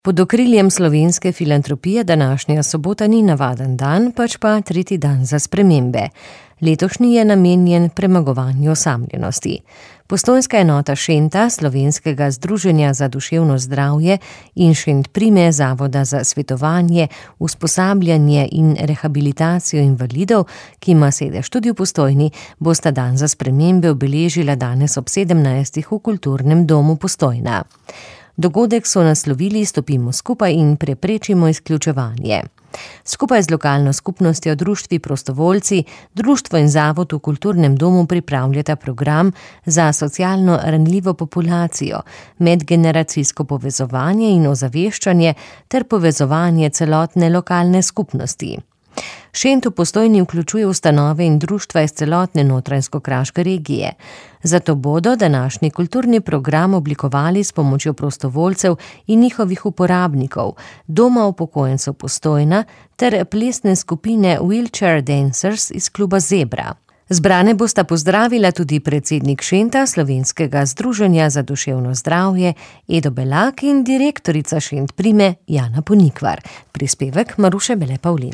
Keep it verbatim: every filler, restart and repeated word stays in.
Pod okriljem Slovenske filantropije današnja sobota ni navaden dan, pač pa tretji dan za spremembe. Letošnji je namenjen premagovanju osamljenosti. Postojnska enota Šenta, Slovenskega združenja za duševno zdravje in Šentprime Zavoda za svetovanje, usposabljanje in rehabilitacijo invalidov, ki ima sedež tudi v Postojni, bosta dan za spremembe obeležila danes ob sedemnajstih v Kulturnem domu Postojna. Dogodek so naslovili Stopimo skupaj in preprečimo izključevanje. Skupaj z lokalno skupnostjo, društvi prostovoljci, društvo in zavod v Kulturnem domu pripravljata program za socialno ranljivo populacijo, medgeneracijsko povezovanje in ozaveščanje ter povezovanje celotne lokalne skupnosti. Šent v Postojni vključuje ustanove in društva iz celotne notranjsko-kraške regije. Zato bodo današnji kulturni program oblikovali s pomočjo prostovoljcev in njihovih uporabnikov, Doma upokojencev Postojna ter plesne skupine Wheelchair Dancers iz kluba Zebra. Zbrane bosta pozdravila tudi predsednik Šenta, Slovenskega združenja za duševno zdravje, Edo Belak in direktorica Šentprime Jana Ponikvar. Prispevek Maruše Bele Pavlin.